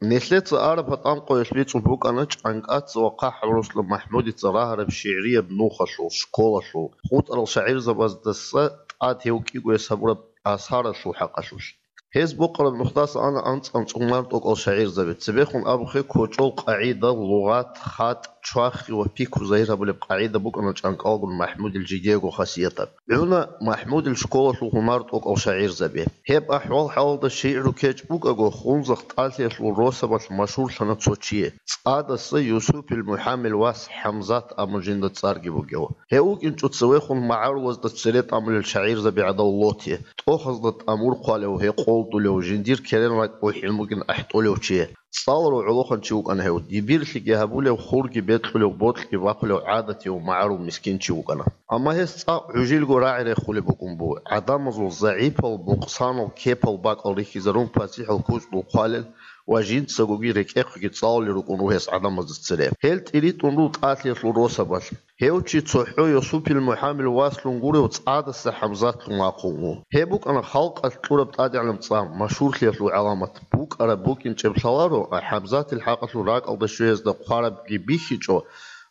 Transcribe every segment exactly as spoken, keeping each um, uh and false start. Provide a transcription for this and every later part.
Нилъеца араб гьатӀанкъоялъ бицун букӀана ЧӀанкӀаца ва ХъахӀаб Руслан МахӀмудица рагьараб шигӀрияб нухалъул, школалъул, хутӀарал шагӀирзабаздаса тӀад гьев кӀиго гьес гьабураб асаралъул хӀакъалъулъ. Гьез бокьараб нухдаса ана анцӀ-анцӀ гьунар тӀокӀал шагӀирзаби, цебехун абухъе кочӀол къагӀида, лугъат, хатӀ, чвахи ва пикру загьир гьабулеб къагӀида букӀана ЧӀанкӀалгун МахӀмудил жидего хасиятаб. ГӀуна МахӀмудил школалъул гьунар тӀокӀал шагӀирзаби. Гьеб ахӀвал-хӀалалда шигӀру кечӀ букӀаго, Хунзахъ тӀалъиялъул росабалъ машгьурлъана цо чи, ЦӀадаса Юсупил МухӀамил вас ХӀамзат абун жинда цӀарги бугев. Гьев вукӀинчӀо цевехун магӀарулазда цере тӀамулел шагӀирзаби гӀадал лоти, тӀохазда тӀамур хъвалев, гьекъолдулев, жиндир керен ракӀ бухӀин бугин ахӀтӀулев чи. ЦӀаларав гӀолохъанчи вукӀана гьев, дибирлъиги гьабулев, хурги бекьулев, бокьги бахъулев гӀадатияв магӀарул мискинчи вукӀана. Амма гьес цӀакъ гӀужилго рагӀи рехулеб букӀун буго, гӀадамазул загӀипал, мукъсанал, кепал бакӀал рихьизарун пасихӀал куцӀдул хъвалел ва жинцагоги рекӀехъеги цӀалулел рукӀун ругьес гӀадамазда цере. Гьел тӀиритӀун руго тӀалъиялъул росабалъ. Гьев чи цохӀо Юсупил МухӀамил васлъун гурев ЦӀадаса ХӀамзатлъун вахъун вуго. Гьеб букӀана халкъалъ кьураб тӀадегӀанаб цӀар, машгьурлъиялъул гӀаламат. БукӀараб букӀинчӀеб лъаларо, ХӀамзатил хӀакъалъулъ ракӀалда щвеязда хъварабги бихьичӀо,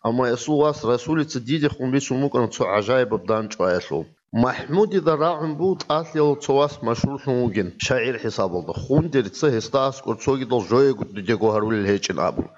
амма гьесул вас Расулица дидехун бицун букӀана цо гӀажаибаб дандчӀваялъул. МахӀмудида рагӀун буго тӀалъиялъул цо вас машгьурлъун вугин шагӀир хӀисабалда, Хундерица гьесда аскӀор цогидал жояго дидего гьарулел гьечӀин абун.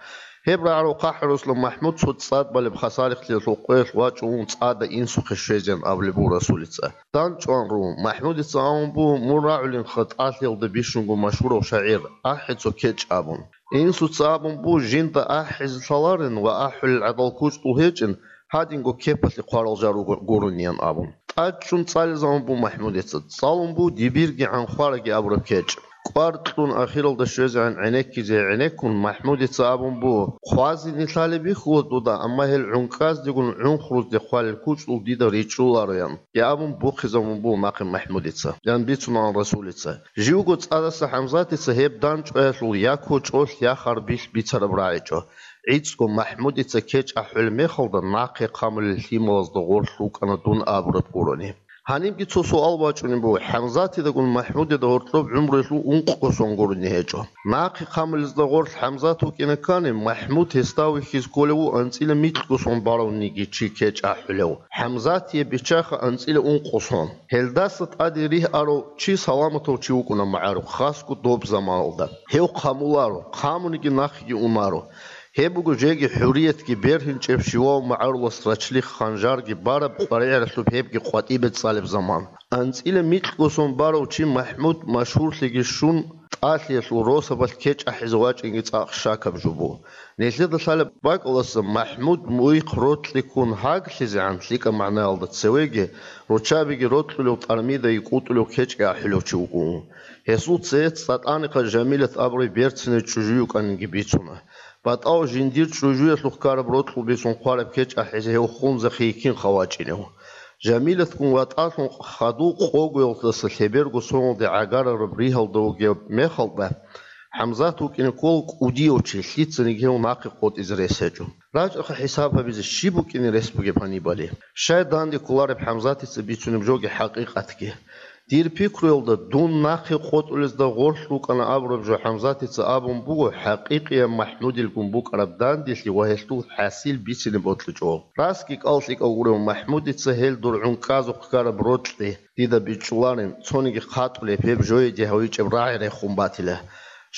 Гьеб рагӀарав ХъахӀаб Руслан МахӀмуд цо цӀад балеб хасарихълъиялъул къоялъ вачӀун вугин ЦӀада инсухъе щвезеян абулеб буго Расулица. ДандчӀван ругьун, МахӀмудица абун буго, мун рагӀулинха тӀалъиялда бищунго машгьурав шагӀир, ахӀе цо кечӀ абун. Инсуца абун буго, жинда ахӀизе лъаларин ва ахӀулел гӀадал кучӀдул гьечӀин, гьадинго кепалъе хъварал жал руго-, гурониан абун. ТӀад чӀун цӀализабун буго МахӀмудица, цӀалун буго дибирги гӀанхъвараги абураб кечӀ. КӀвар кьун ахиралда щвезегӀан гӀенеккизе гӀенеккун, МахӀмудица абун буго, хъвазе нилъалеб бихьула дуда, амма гьел гӀункӀаздегун гӀунхрузде хъвалел кучӀдул дида ричӀчӀулароян, я абун бухъизабун буго нахъе МахӀмудица, ян бицунаан Расулица. Живго ЦӀадаса ХӀамзатица гьеб дандчӀваялъул я кочӀолъ, я харбилъ бицараб рагӀичӀо. ГӀицӀго МахӀмудица кечӀ ахӀулеб мехалда нахъе хъамулел лъималазда гъорлъ рукӀана дун абураб гурони. Гьанибги цо суал бачӀунеб буго, ХӀамзатидагун МахӀмудида гьоркьоб гӀумруялъул ункъго сон гурони гьечӀо. Нахъе хъамулезда гъорлъ ХӀамзат вукӀина ккани, МахӀмуд гьесда вихьизе кколев вуго анцӀила микьго сон баравниги чи кечӀ ахӀулев. ХӀамзатие биччаха анцӀила ункъо сон. Гьелдаса тӀаде ригьарав чи саламатав чи вукӀуна магӀарухъ, хасго доб заманалда. Гьев хъамуларо, хъамуниги нахъеги унаро. Гьеб буго жеги хӀуриятги бергьинчӀеб щивав магӀарулас рачлихъ ханжарги бараб къваригӀаралъуб гьебги къватӀибе цӀалеб заман. АнцӀила микьго сон барав чи МахӀмуд машгьурлъиги щун, тӀалъиялъул росабалъ кечӀ ахӀизе вачӀинги цӀакъ щакаб жо буго. Нилъеда лъалеб бакӀалдаса МахӀмуд мугьихъ рокьи ккун гьаглъизегӀан лъикӀаб магӀнаялда цевеги, руччабиги рокьулев, тӀармидаги кӀутӀулев кечӀги ахӀулев чи вукӀун. Гьесул цеец ЦӀатӀанихъа Жамилат абурай берцинай чӀужу йукӀанинги бицуна. БатӀав жиндир чӀужуялъухъ ккараб рокьул бицун хъвараб кечӀ ахӀизе гьев Хунзахъе йиккинха вачӀинев. Жамилатгун ватӀалъун хадув къогоялдаса лъеберго соналде гӀагарараб ригьалда вугеб мехалда, ХӀамзат вукӀине ккола кӀудияв чи, лъицаниги гьев нахъе къотӀизе рес гьечӀо. РачӀаха хӀисаб гьабизе, щиб букӀине рес бугеб гьанибали. Щай данде кколареб ХӀамзатица бицунеб жоги хӀакъикъатги. Дир пикруялда, дун нахъе къотӀулезда гъорлъ вукӀана абураб жо ХӀамзатица абун буго хӀакъикъияб МахӀмудилгун букӀараб данделъи ва гьелъул хӀасил бицине бокьичӀо. Расги кӀал-лъикӀав гурев МахӀмудица гьел дур гӀункӀазухъ ккараб рокьи дида бичӀчӀуларин, цониги хъатӀулеб гьеб жояде гьавичӀеб рагӀи рехун батила.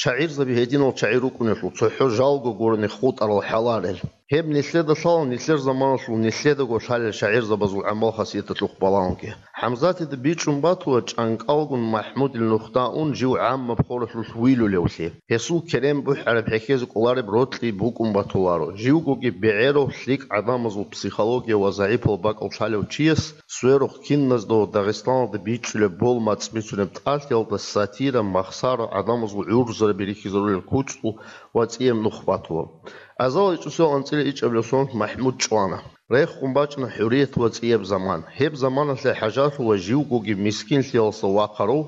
ШагӀирзаби гьединал чагӀи рукӀунелъул цохӀо жалго гурони хутӀарал хӀаларел. Гьеб нилъеда лъала нилъер заманалъул нилъедаго лъалел шагӀирзабазул гӀамал-хасияталъухъ балагьунги. ХӀамзатида бичӀчӀун батула ЧӀанкӀалгун МахӀмудил нухда ун жив гӀаммаб хоралъулъ вилулевлъи. Гьесул керен бухӀараб хӀехьезе кӀолареб рокьи букӀун батуларо. Живгоги бегӀерав лъикӀ гӀадамазул психология ва загӀипал бакӀал лъалев чияс сверухъ киназдаго Дагъистаналда бичӀчӀулеб бол мацӀ бицунеб тӀалъиялда сатира, махсара, гӀадамазул гӀурзараби рихьизарулел кучӀдул ва цӀияб нух батула. Азал ичӀусел анцӀила ичӀабилеб сон МахӀмуд чӀвана. Рехун бачӀана хӀурият ва цӀияб заман. Гьеб заманалъе хӀажалъула живгоги мискинлъиялдаса вахъарав,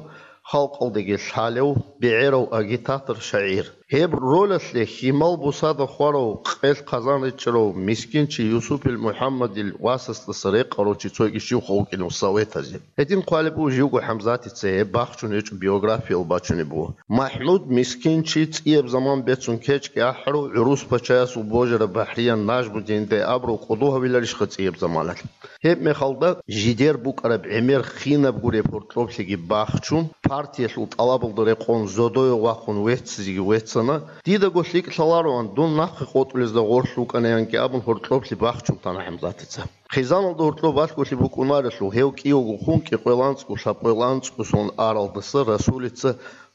халкъалдаги лъалев, бегӀерав агитатор, шагӀир. Гьеб ролалъе хьимал бусада хварав, къелъ-хъазан ричӀчӀарав мискинчи Юсупил МухӀаммадил васасдаса рекъарав чи цойги щивха вукӀинав советазе. Гьедин хъвалеб буго живго ХӀамзатица гьеб бахчун гьечӀо биографиял бачунеб буго. МахӀмуд мискинчи цӀияб заман бецун кечӀги ахӀарав, гӀурус пачаясул божараб бахӀриян Нажмудиндай абурав кӀодо гьавиларищха цӀияб заманалъ? Гьеб мехалда жидер букӀараб гӀемер хинаб гуреб гьоркьоблъиги бахчун, партиялъул тӀалабалда рекъон зодое вахъун веццизеги веццана, дидаго лъикӀ лъалароан, дун нахъе къотӀулезда гъорлъ вукӀанаянги абун гьоркьоблъи бахчун тана ХӀамзатица. Хъизаналда гьоркьоб балъголъи букӀунарелъул, гьев кӀиявго хун кӀикъоялда анцӀго лъабкъоялда анцӀго сон аралдаса Расулица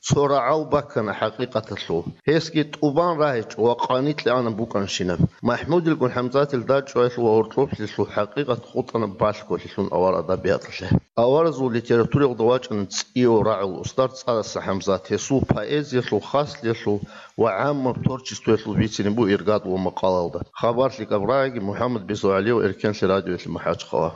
цо рагӀал баккана хӀакъикъаталъул. Гьесги тӀубан рагьичӀо ва къаникье ана букӀанщинаб. МахӀмудилгун ХӀамзатил дачӀваялъул ва гьоркьоблъиялъул хӀакъикъат хутӀана балъголъилъун авар адабияталъе. Аваразул литератураялда вачӀана цӀияв рагӀул устар ЦӀадаса ХӀамзат, гьесул поэзиялъул хаслъиялъул ва гӀаммаб творчествоялъул бицине буго иргад ва макъалалда. Хабар лъикӀаб рагӀиги, МухӀаммад Бесо ГӀалиев, Эркенлъи радиоялъе МахӀачхъала.